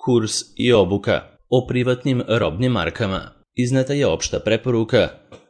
kurs i obuka o privatnim robnim markama. Izneta je opšta preporuka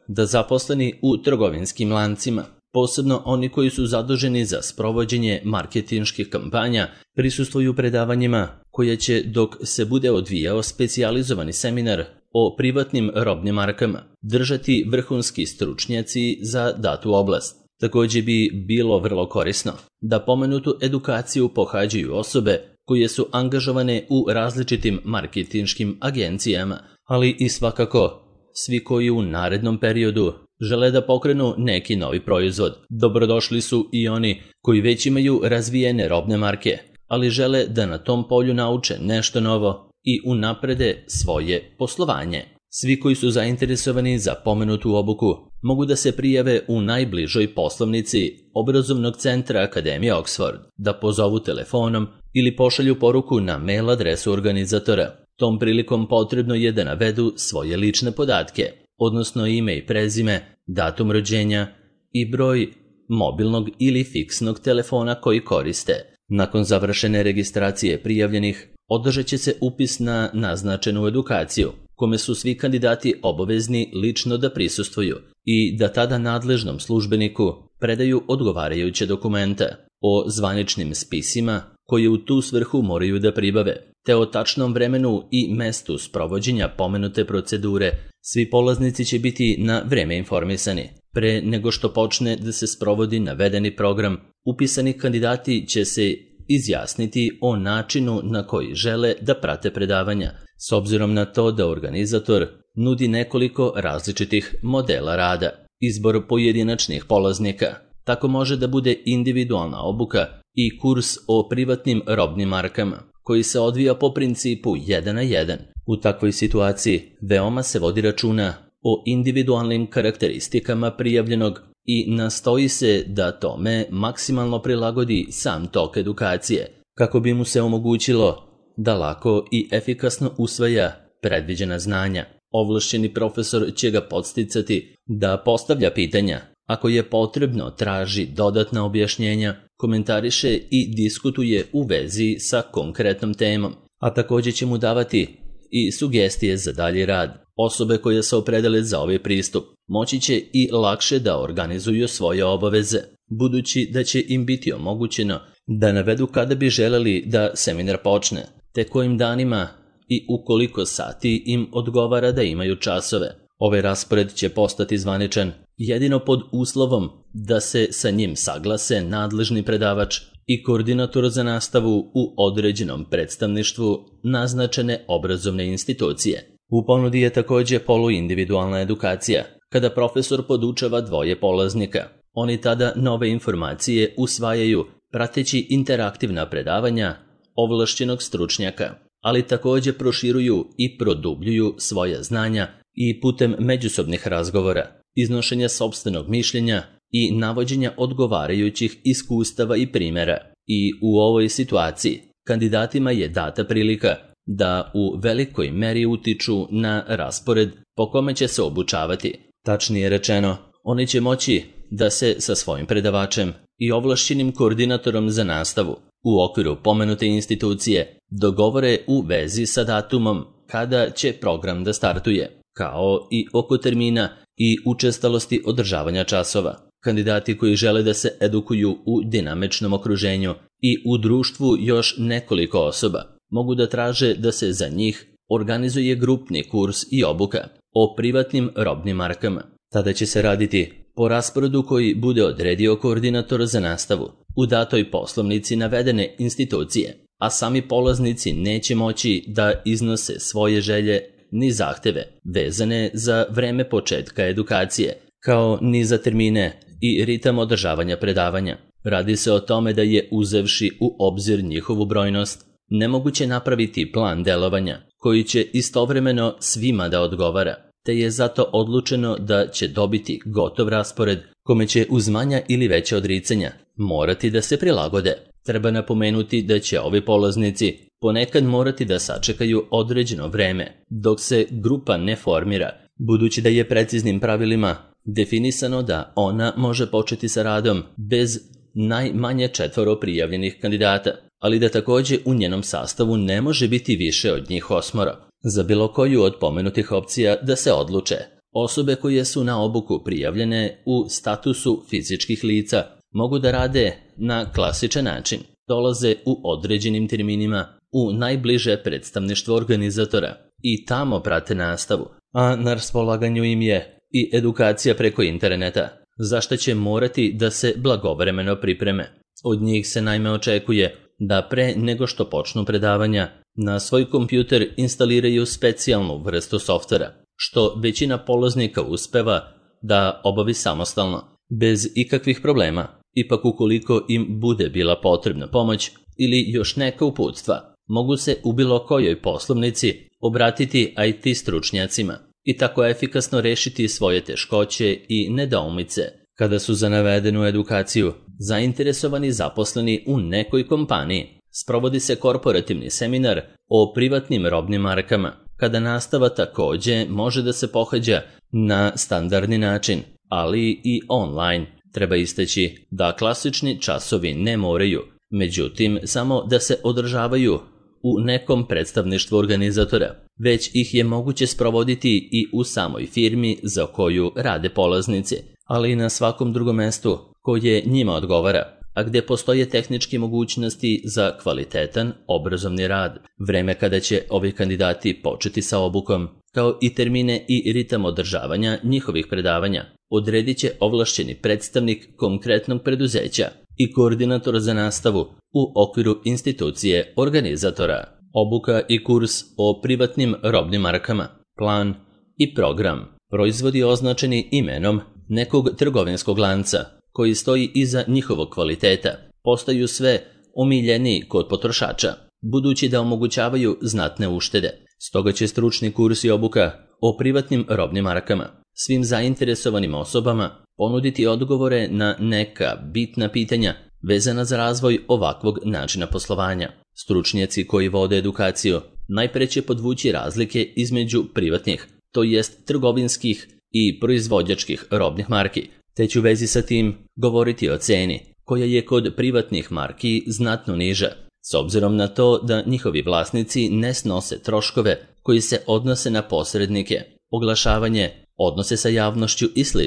da zaposleni u trgovinskim lancima, posebno oni koji su zaduženi za sprovođenje marketinških kampanja, prisustvuju predavanjima koje će, dok se bude odvijao specijalizovani seminar o privatnim robnim markama, držati vrhunski stručnjaci za datu oblast. Također bi bilo vrlo korisno da pomenutu edukaciju pohađaju osobe koje su angažovane u različitim marketinškim agencijama, ali i svakako svi koji u narednom periodu žele da pokrenu neki novi proizvod. Dobrodošli su i oni koji već imaju razvijene robne marke, ali žele da na tom polju nauče nešto novo i unaprede svoje poslovanje. Svi koji su zainteresovani za pomenutu obuku mogu da se prijave u najbližoj poslovnici obrazovnog centra Akademije Oxford, da pozovu telefonom ili pošalju poruku na mail adresu organizatora. Tom prilikom potrebno je da navedu svoje lične podatke, odnosno ime i prezime, datum rođenja i broj mobilnog ili fiksnog telefona koji koriste. Nakon završene registracije prijavljenih, održat će se upis na naznačenu edukaciju, kome su svi kandidati obavezni lično da prisustvuju i da tada nadležnom službeniku predaju odgovarajuće dokumenta o zvaničnim spisima koje u tu svrhu moraju da pribave, te o tačnom vremenu i mestu sprovođenja pomenute procedure. Svi polaznici će biti na vreme informisani. Pre nego što počne da se sprovodi navedeni program, upisani kandidati će se izjasniti o načinu na koji žele da prate predavanja, s obzirom na to da organizator nudi nekoliko različitih modela rada. Izbor pojedinačnih polaznika tako može da bude individualna obuka i kurs o privatnim robnim markama, koji se odvija po principu 1 na 1. U takvoj situaciji veoma se vodi računa o individualnim karakteristikama prijavljenog i nastoji se da tome maksimalno prilagodi sam tok edukacije, kako bi mu se omogućilo da lako i efikasno usvaja predviđena znanja. Ovlašćeni profesor će ga podsticati da postavlja pitanja. Ako je potrebno, traži dodatna objašnjenja, komentariše i diskutuje u vezi sa konkretnom temom, a također će mu davati i sugestije za dalji rad. Osobe koje se opredele za ovaj pristup moći će i lakše da organizuju svoje obaveze, budući da će im biti omogućeno da navedu kada bi želeli da seminar počne, te kojim danima i u koliko sati im odgovara da imaju časove. Ovaj raspored će postati zvaničan jedino pod uslovom da se sa njim saglase nadležni predavač i koordinator za nastavu u određenom predstavništvu naznačene obrazovne institucije. U ponudi je također poluindividualna edukacija, kada profesor podučava dvoje polaznika. Oni tada nove informacije usvajaju prateći interaktivna predavanja ovlašćenog stručnjaka, ali također proširuju i produbljuju svoja znanja i putem međusobnih razgovora, iznošenja sopstvenog mišljenja i navođenja odgovarajućih iskustava i primjera. I u ovoj situaciji kandidatima je data prilika da u velikoj meri utiču na raspored po kome će se obučavati. Tačnije rečeno, oni će moći da se sa svojim predavačem i ovlašćenim koordinatorom za nastavu u okviru pomenute institucije dogovore u vezi sa datumom kada će program da startuje, kao i oko termina i učestalosti održavanja časova. Kandidati koji žele da se edukuju u dinamičnom okruženju i u društvu još nekoliko osoba mogu da traže da se za njih organizuje grupni kurs i obuka o privatnim robnim markama. Tada će se raditi po rasporedu koji bude odredio koordinator za nastavu u datoj poslovnici navedene institucije, a sami polaznici neće moći da iznose svoje želje ni zahteve vezane za vreme početka edukacije, kao ni za termine i ritam održavanja predavanja. Radi se o tome da je, uzevši u obzir njihovu brojnost, nemoguće napraviti plan delovanja koji će istovremeno svima da odgovara, te je zato odlučeno da će dobiti gotov raspored kome će uz manja ili veća odricanja morati da se prilagode. Treba napomenuti da će ovi polaznici ponekad morati da sačekaju određeno vreme dok se grupa ne formira, budući da je preciznim pravilima definisano da ona može početi sa radom bez najmanje 4 prijavljenih kandidata, ali da takođe u njenom sastavu ne može biti više od njih 8. Za bilo koju od pomenutih opcija da se odluče. Osobe koje su na obuku prijavljene u statusu fizičkih lica mogu da rade na klasičan način. Dolaze u određenim terminima u najbliže predstavništvo organizatora i tamo prate nastavu, a na raspolaganju im je i edukacija preko interneta, za što će morati da se blagovremeno pripreme. Od njih se naime očekuje da pre nego što počnu predavanja na svoj kompjuter instaliraju specijalnu vrstu softvera, što većina polaznika uspeva da obavi samostalno, bez ikakvih problema. Ipak ukoliko im bude bila potrebna pomoć ili još neka uputstva, mogu se u bilo kojoj poslovnici obratiti IT stručnjacima i tako efikasno rešiti svoje teškoće i nedoumice kada su za navedenu edukaciju zainteresovani zaposleni u nekoj kompaniji. Sprovodi se korporativni seminar o privatnim robnim markama, kada nastava takođe može da se pohađa na standardni način, ali i online. Treba istaći da klasični časovi ne moraju, međutim samo da se održavaju u nekom predstavništvu organizatora, već ih je moguće sprovoditi i u samoj firmi za koju rade polaznici, ali i na svakom drugom mestu koje njima odgovara, a gde postoje tehničke mogućnosti za kvalitetan obrazovni rad. Vreme kada će ovi kandidati početi sa obukom, kao i termine i ritam održavanja njihovih predavanja, odredit će ovlašćeni predstavnik konkretnog preduzeća i koordinator za nastavu u okviru institucije organizatora. Obuka i kurs o privatnim robnim markama, plan i program. Proizvodi označeni imenom nekog trgovinskog lanca koji stoji iza njihovog kvaliteta postaju sve omiljeniji kod potrošača, budući da omogućavaju znatne uštede. Stoga će stručni kurs i obuka o privatnim robnim markama svim zainteresovanim osobama ponuditi odgovore na neka bitna pitanja vezana za razvoj ovakvog načina poslovanja. Stručnjaci koji vode edukaciju najpre će podvući razlike između privatnih, to jest trgovinskih i proizvođačkih robnih marki, te će u vezi sa tim govoriti o ceni, koja je kod privatnih marki znatno niža, s obzirom na to da njihovi vlasnici ne snose troškove koji se odnose na posrednike, oglašavanje, odnose sa javnošću i sl.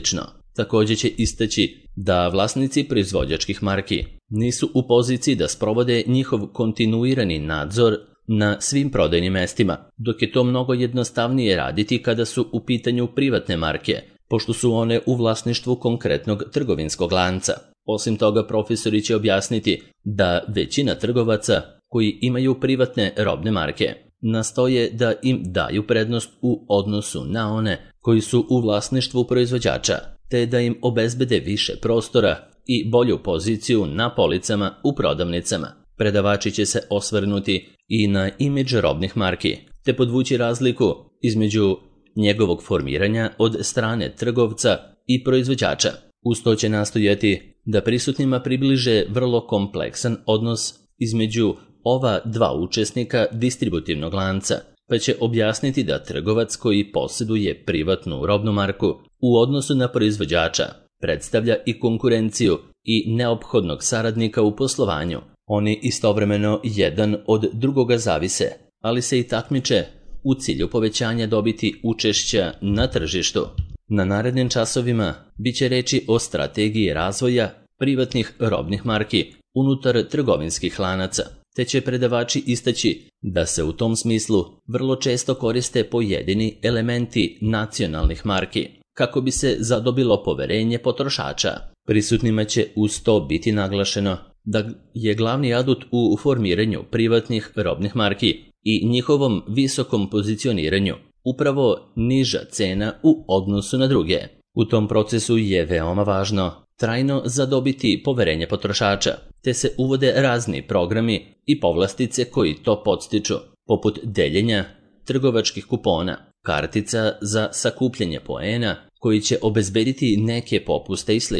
Takođe će istaći da vlasnici proizvođačkih marki nisu u poziciji da sprovode njihov kontinuirani nadzor na svim prodajnim mestima, dok je to mnogo jednostavnije raditi kada su u pitanju privatne marke, pošto su one u vlasništvu konkretnog trgovinskog lanca. Osim toga, profesori će objasniti da većina trgovaca koji imaju privatne robne marke nastoje da im daju prednost u odnosu na one koji su u vlasništvu proizvođača, te da im obezbede više prostora i bolju poziciju na policama u prodavnicama. Predavači će se osvrnuti i na imidž robnih marki, te podvući razliku između njegovog formiranja od strane trgovca i proizvođača. Uz to će nastojati da prisutnima približe vrlo kompleksan odnos između ova dva učesnika distributivnog lanca, pa će objasniti da trgovac koji posjeduje privatnu robnu marku u odnosu na proizvođača predstavlja i konkurenciju i neophodnog saradnika u poslovanju. Oni istovremeno jedan od drugoga zavise, ali se i takmiče u cilju povećanja dobiti učešća na tržištu. Na narednim časovima biće reči o strategiji razvoja privatnih robnih marki unutar trgovinskih lanaca, te će predavači istaći da se u tom smislu vrlo često koriste pojedini elementi nacionalnih marki, kako bi se zadobilo poverenje potrošača. Prisutnima će uz to biti naglašeno da je glavni adut u formiranju privatnih robnih marki i njihovom visokom pozicioniranju upravo niža cena u odnosu na druge. U tom procesu je veoma važno trajno zadobiti poverenje potrošača, te se uvode razni programi i povlastice koji to podstiču, poput deljenja trgovačkih kupona, kartica za sakupljanje poena koji će obezbediti neke popuste i sl.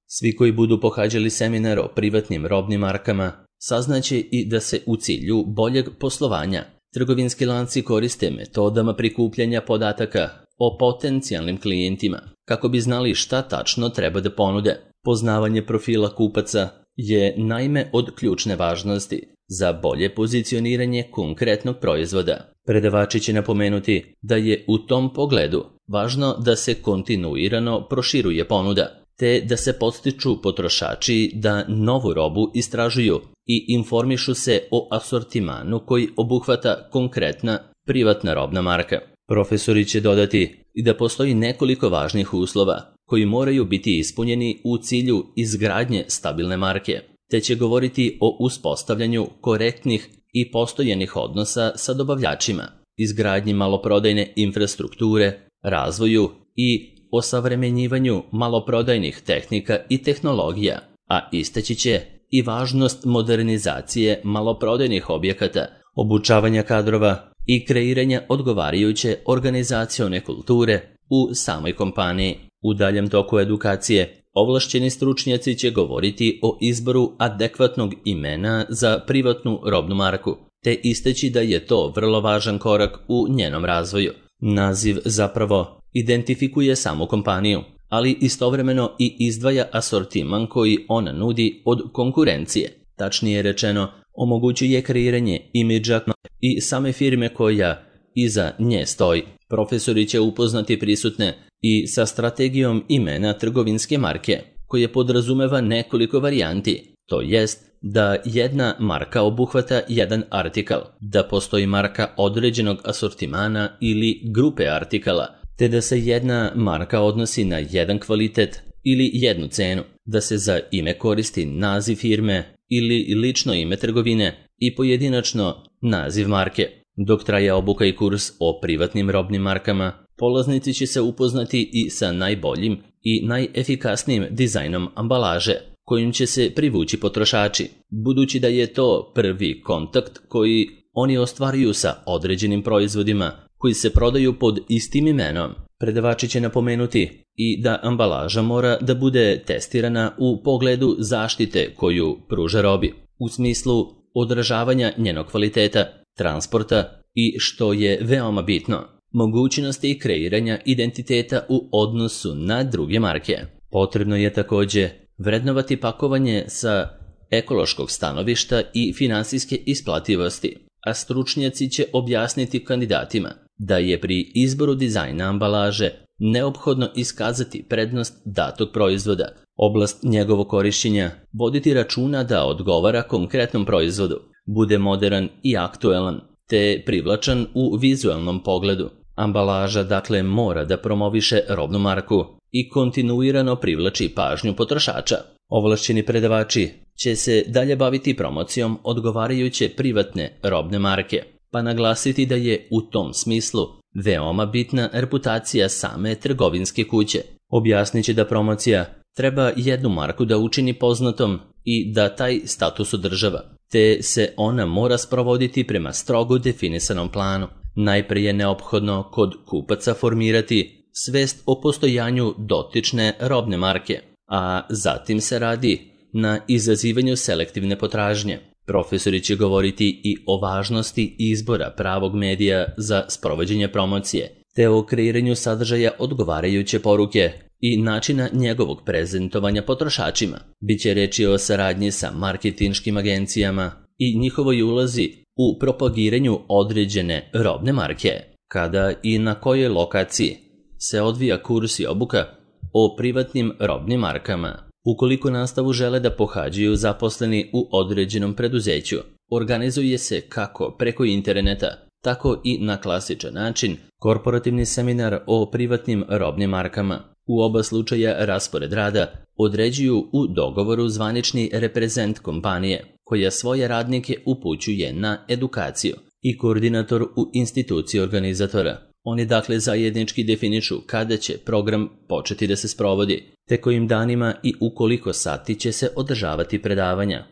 Svi koji budu pohađali seminar o privatnim robnim markama saznaće i da se u cilju boljeg poslovanja trgovinski lanci koriste metodama prikupljanja podataka o potencijalnim klijentima, kako bi znali šta tačno treba da ponude. Poznavanje profila kupaca je naime od ključne važnosti, za bolje pozicioniranje konkretnog proizvoda. Predavači će napomenuti da je u tom pogledu važno da se kontinuirano proširuje ponuda, te da se podstiču potrošači da novu robu istražuju i informišu se o asortimanu koji obuhvata konkretna privatna robna marka. Profesori će dodati i da postoji nekoliko važnih uslova koji moraju biti ispunjeni u cilju izgradnje stabilne marke, te će govoriti o uspostavljanju korektnih i postojanih odnosa sa dobavljačima, izgradnji maloprodajne infrastrukture, razvoju i osavremenjivanju maloprodajnih tehnika i tehnologija, a istaći će i važnost modernizacije maloprodajnih objekata, obučavanja kadrova i kreiranja odgovarajuće organizacione kulture u samoj kompaniji. U daljem toku edukacije, ovlašćeni stručnjaci će govoriti o izboru adekvatnog imena za privatnu robnu marku, te istaći da je to vrlo važan korak u njenom razvoju. Naziv zapravo identifikuje samu kompaniju, ali istovremeno i izdvaja asortiman koji ona nudi od konkurencije. Tačnije rečeno, omogućuje kreiranje imidža i same firme koja iza nje stoji. Profesori će upoznati prisutne i sa strategijom imena trgovinske marke, koje podrazumeva nekoliko varijanti, to jest da jedna marka obuhvata jedan artikal, da postoji marka određenog asortimana ili grupe artikala, te da se jedna marka odnosi na jedan kvalitet ili jednu cenu, da se za ime koristi naziv firme ili lično ime trgovine i pojedinačno naziv marke. Dok traje obuka i kurs o privatnim robnim markama, polaznici će se upoznati i sa najboljim i najefikasnijim dizajnom ambalaže, kojim će se privući potrošači, budući da je to prvi kontakt koji oni ostvaruju sa određenim proizvodima koji se prodaju pod istim imenom. Predavači će napomenuti i da ambalaža mora da bude testirana u pogledu zaštite koju pruža robi, u smislu odražavanja njenog kvaliteta, transporta i, što je veoma bitno, mogućnosti kreiranja identiteta u odnosu na druge marke. Potrebno je također vrednovati pakovanje sa ekološkog stanovišta i finansijske isplativosti, a stručnjaci će objasniti kandidatima da je pri izboru dizajna ambalaže neophodno iskazati prednost datog proizvoda, oblast njegovog korišćenja, voditi računa da odgovara konkretnom proizvodu, bude moderan i aktuelan, te privlačan u vizualnom pogledu. Ambalaža dakle mora da promoviše robnu marku i kontinuirano privlači pažnju potrošača. Ovlašćeni predavači će se dalje baviti promocijom odgovarajuće privatne robne marke, pa naglasiti da je u tom smislu veoma bitna reputacija same trgovinske kuće. Objasnit će da promocija treba jednu marku da učini poznatom i da taj status održava, te se ona mora sprovoditi prema strogo definisanom planu. Najprije je neophodno kod kupaca formirati svest o postojanju dotične robne marke, a zatim se radi na izazivanju selektivne potražnje. Profesori će govoriti i o važnosti izbora pravog medija za sprovođenje promocije, te o kreiranju sadržaja odgovarajuće poruke i načina njegovog prezentovanja potrošačima. Biće reči o saradnji sa marketinškim agencijama i njihovoj ulozi u propagiranju određene robne marke. Kada i na kojoj lokaciji se odvija kurs i obuka o privatnim robnim markama. Ukoliko nastavu žele da pohađaju zaposleni u određenom preduzeću, organizuje se kako preko interneta, tako i na klasičan način korporativni seminar o privatnim robnim markama. U oba slučaja raspored rada određuju u dogovoru zvanični reprezent kompanije, koja svoje radnike upućuje na edukaciju, i koordinator u instituciji organizatora. Oni dakle zajednički definišu kada će program početi da se sprovodi, te kojim danima i u koliko sati će se održavati predavanja.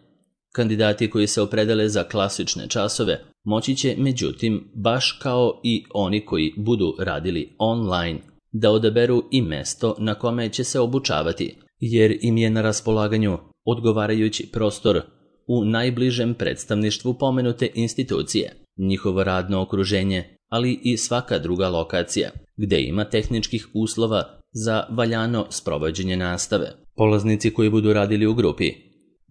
Kandidati koji se opredele za klasične časove moći će, međutim, baš kao i oni koji budu radili online, da odaberu i mesto na kome će se obučavati, jer im je na raspolaganju odgovarajući prostor u najbližem predstavništvu pomenute institucije, njihovo radno okruženje, ali i svaka druga lokacija, gde ima tehničkih uslova za valjano sprovođenje nastave. Polaznici koji budu radili u grupi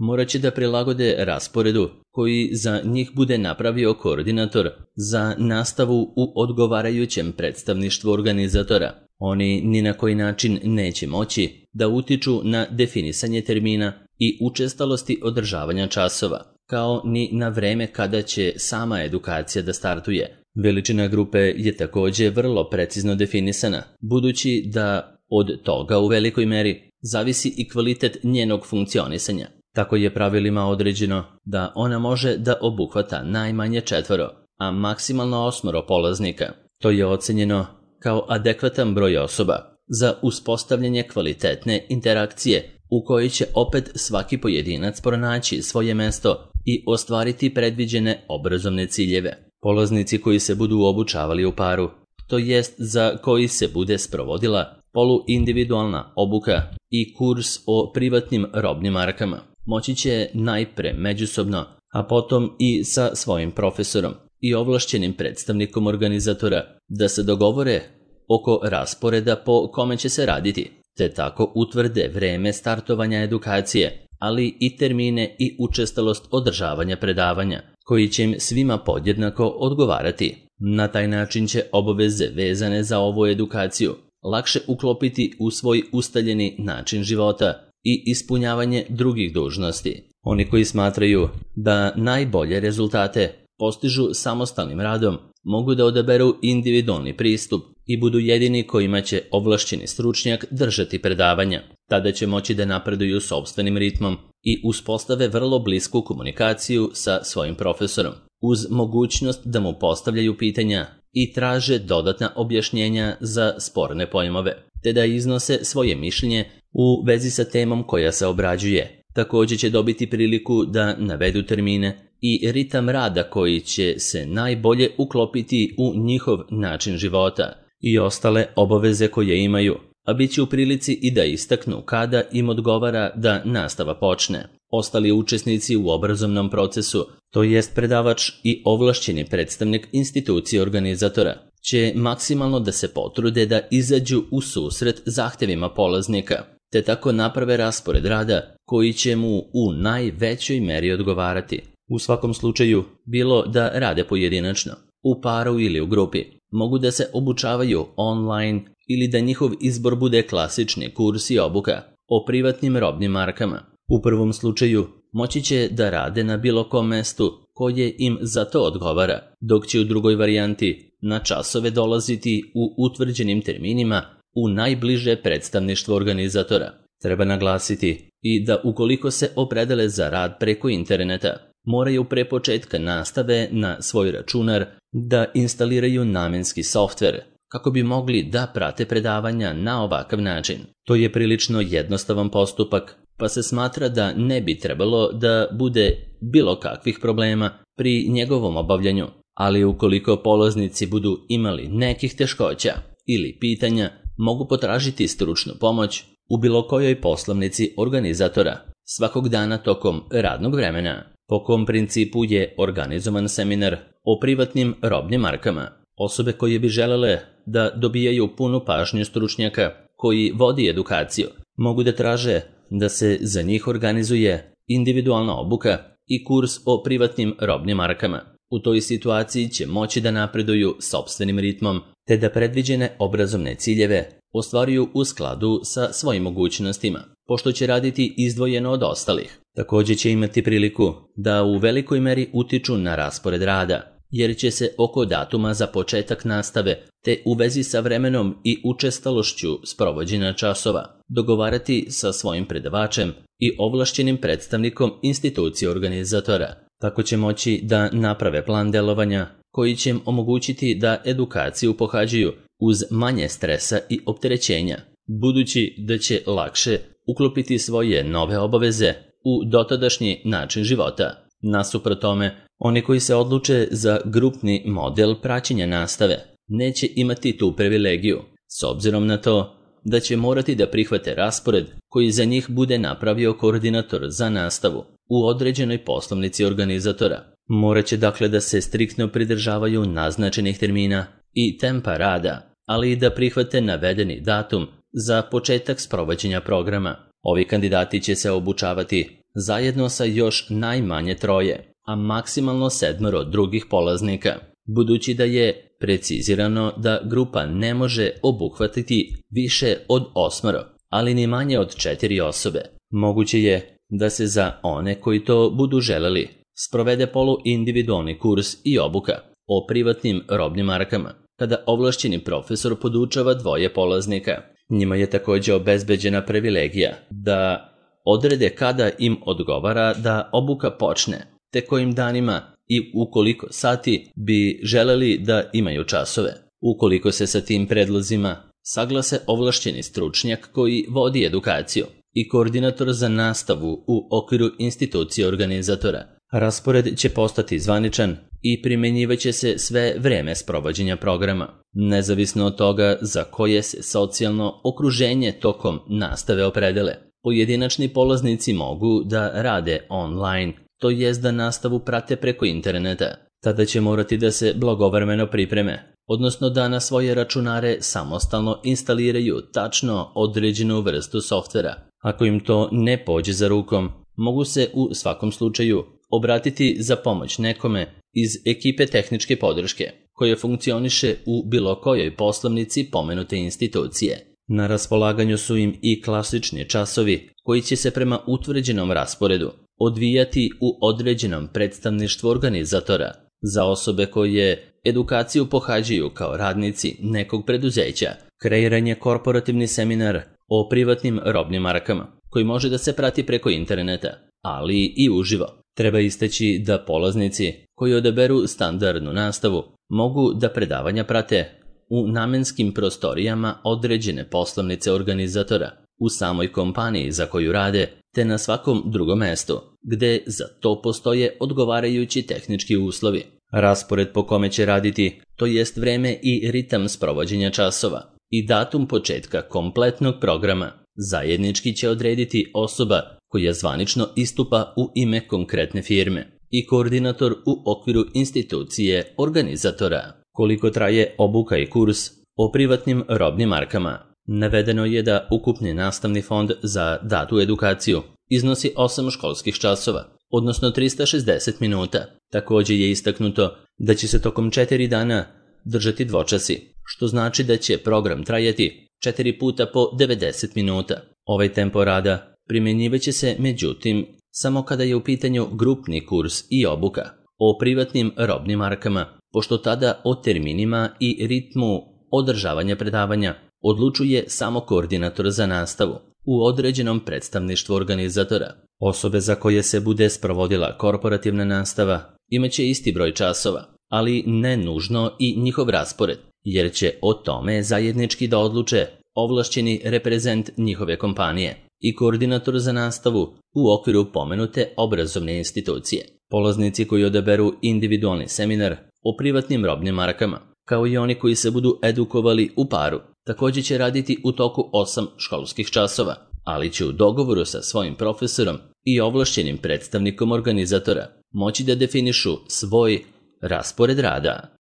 morat će da prilagode rasporedu koji za njih bude napravio koordinator za nastavu u odgovarajućem predstavništvu organizatora. Oni ni na koji način neće moći da utiču na definisanje termina i učestalosti održavanja časova, kao ni na vreme kada će sama edukacija da startuje. Veličina grupe je također vrlo precizno definisana, budući da od toga u velikoj meri zavisi i kvalitet njenog funkcionisanja. Tako je pravilima određeno da ona može da obuhvata najmanje 4, a maksimalno 8 polaznika. To je ocenjeno kao adekvatan broj osoba za uspostavljanje kvalitetne interakcije u kojoj će opet svaki pojedinac pronaći svoje mesto i ostvariti predviđene obrazovne ciljeve. Polaznici koji se budu obučavali u paru, to jest za koji se bude sprovodila poluindividualna obuka i kurs o privatnim robnim markama, moći će najpre međusobno, a potom i sa svojim profesorom i ovlašćenim predstavnikom organizatora da se dogovore oko rasporeda po kome će se raditi, te tako utvrde vreme startovanja edukacije, ali i termine i učestalost održavanja predavanja, koji će im svima podjednako odgovarati. Na taj način će obaveze vezane za ovu edukaciju lakše uklopiti u svoj ustaljeni način života i ispunjavanje drugih dužnosti. Oni koji smatraju da najbolje rezultate postižu samostalnim radom, mogu da odaberu individualni pristup i budu jedini kojima će ovlašćeni stručnjak držati predavanja. Tada će moći da napreduju sopstvenim ritmom i uspostave vrlo blisku komunikaciju sa svojim profesorom, uz mogućnost da mu postavljaju pitanja i traže dodatna objašnjenja za sporne pojmove, te da iznose svoje mišljenje u vezi sa temom koja se obrađuje. Također će dobiti priliku da navedu termine i ritam rada koji će se najbolje uklopiti u njihov način života i ostale obaveze koje imaju, a bit će u prilici i da istaknu kada im odgovara da nastava počne. Ostali učesnici u obrazovnom procesu, to jest predavač i ovlašćeni predstavnik institucije organizatora, će maksimalno da se potrude da izađu u susret zahtevima polaznika, te tako naprave raspored rada koji će mu u najvećoj meri odgovarati. U svakom slučaju, bilo da rade pojedinačno, u paru ili u grupi, mogu da se obučavaju online ili da njihov izbor bude klasični kurs i obuka o privatnim robnim markama. U prvom slučaju moći će da rade na bilo kom mestu koje im za to odgovara, dok će u drugoj varijanti na časove dolaziti u utvrđenim terminima u najbliže predstavništvo organizatora. Treba naglasiti i da ukoliko se opredele za rad preko interneta, moraju pre početka nastave na svoj računar da instaliraju namenski softver kako bi mogli da prate predavanja na ovakav način. To je prilično jednostavan postupak, pa se smatra da ne bi trebalo da bude bilo kakvih problema pri njegovom obavljanju, ali ukoliko polaznici budu imali nekih teškoća ili pitanja, mogu potražiti stručnu pomoć u bilo kojoj poslovnici organizatora svakog dana tokom radnog vremena. Po kom principu je organizovan seminar o privatnim robnim markama. Osobe koje bi želele da dobijaju punu pažnju stručnjaka koji vodi edukaciju, mogu da traže da se za njih organizuje individualna obuka i kurs o privatnim robnim markama. U toj situaciji će moći da napreduju sopstvenim ritmom, te da predviđene obrazovne ciljeve ostvaruju u skladu sa svojim mogućnostima, pošto će raditi izdvojeno od ostalih. Također će imati priliku da u velikoj meri utiču na raspored rada, jer će se oko datuma za početak nastave te u vezi sa vremenom i učestalošću sprovođenja časova dogovarati sa svojim predavačem i ovlašćenim predstavnikom institucije organizatora. Tako će moći da naprave plan delovanja koji će im omogućiti da edukaciju pohađaju uz manje stresa i opterećenja, budući da će lakše uklopiti svoje nove obaveze u dotadašnji način života. Nasuprot tome, oni koji se odluče za grupni model praćenja nastave neće imati tu privilegiju, s obzirom na to da će morati da prihvate raspored koji za njih bude napravio koordinator za nastavu u određenoj poslovnici organizatora. Morat će dakle da se striktno pridržavaju naznačenih termina i tempa rada, ali i da prihvate navedeni datum za početak sprovođenja programa. Ovi kandidati će se obučavati zajedno sa još najmanje 3, a maksimalno 7 drugih polaznika, budući da je precizirano da grupa ne može obuhvatiti više od 8, ali ni manje od 4 osobe. Moguće je da se za one koji to budu želeli sprovede poluindividualni kurs i obuka o privatnim robnim markama, kada ovlašćeni profesor podučava 2 polaznika. Njima je također obezbeđena privilegija da odrede kada im odgovara da obuka počne, te kojim danima i u koliko sati bi želeli da imaju časove. Ukoliko se sa tim predlozima saglase ovlašćeni stručnjak koji vodi edukaciju i koordinator za nastavu u okviru institucije organizatora, raspored će postati zvaničan i primjenjivaće se sve vreme sprovođenja programa, nezavisno od toga za koje se socijalno okruženje tokom nastave opredele. Pojedinačni polaznici mogu da rade online, to jest da nastavu prate preko interneta. Tada će morati da se blagovremeno pripreme, odnosno da na svoje računare samostalno instaliraju tačno određenu vrstu softvera. Ako im to ne pođe za rukom, mogu se u svakom slučaju obratiti za pomoć nekome iz ekipe tehničke podrške, koja funkcioniše u bilo kojoj poslovnici pomenute institucije. Na raspolaganju su im i klasični časovi koji će se prema utvrđenom rasporedu odvijati u određenom predstavništvu organizatora za osobe koje edukaciju pohađaju kao radnici nekog preduzeća. Kreiran je korporativni seminar o privatnim robnim markama koji može da se prati preko interneta, ali i uživo. Treba istaći da polaznici koji odaberu standardnu nastavu mogu da predavanja prate u namenskim prostorijama određene poslovnice organizatora, u samoj kompaniji za koju rade, te na svakom drugom mestu, gde za to postoje odgovarajući tehnički uslovi. Raspored po kome će raditi, to jest vreme i ritam sprovođenja časova i datum početka kompletnog programa, zajednički će odrediti osoba koja zvanično istupa u ime konkretne firme i koordinator u okviru institucije organizatora. Koliko traje obuka i kurs o privatnim robnim markama? Navedeno je da ukupni nastavni fond za datu edukaciju iznosi 8 školskih časova, odnosno 360 minuta. Također je istaknuto da će se tokom 4 dana držati dvočasi, što znači da će program trajati 4 puta po 90 minuta. Ovaj tempo rada primjenjivaće se, međutim, samo kada je u pitanju grupni kurs i obuka o privatnim robnim markama, pošto tada o terminima i ritmu održavanja predavanja odlučuje samo koordinator za nastavu u određenom predstavništvu organizatora. Osobe za koje se bude sprovodila korporativna nastava imaće isti broj časova, ali ne nužno i njihov raspored, jer će o tome zajednički da odluče ovlašćeni reprezent njihove kompanije i koordinator za nastavu u okviru pomenute obrazovne institucije. Polaznici koji odaberu individualni seminar o privatnim robnim markama, kao i oni koji se budu edukovali u paru, također će raditi u toku 8 školskih časova, ali će u dogovoru sa svojim profesorom i ovlašćenim predstavnikom organizatora moći da definišu svoj raspored rada.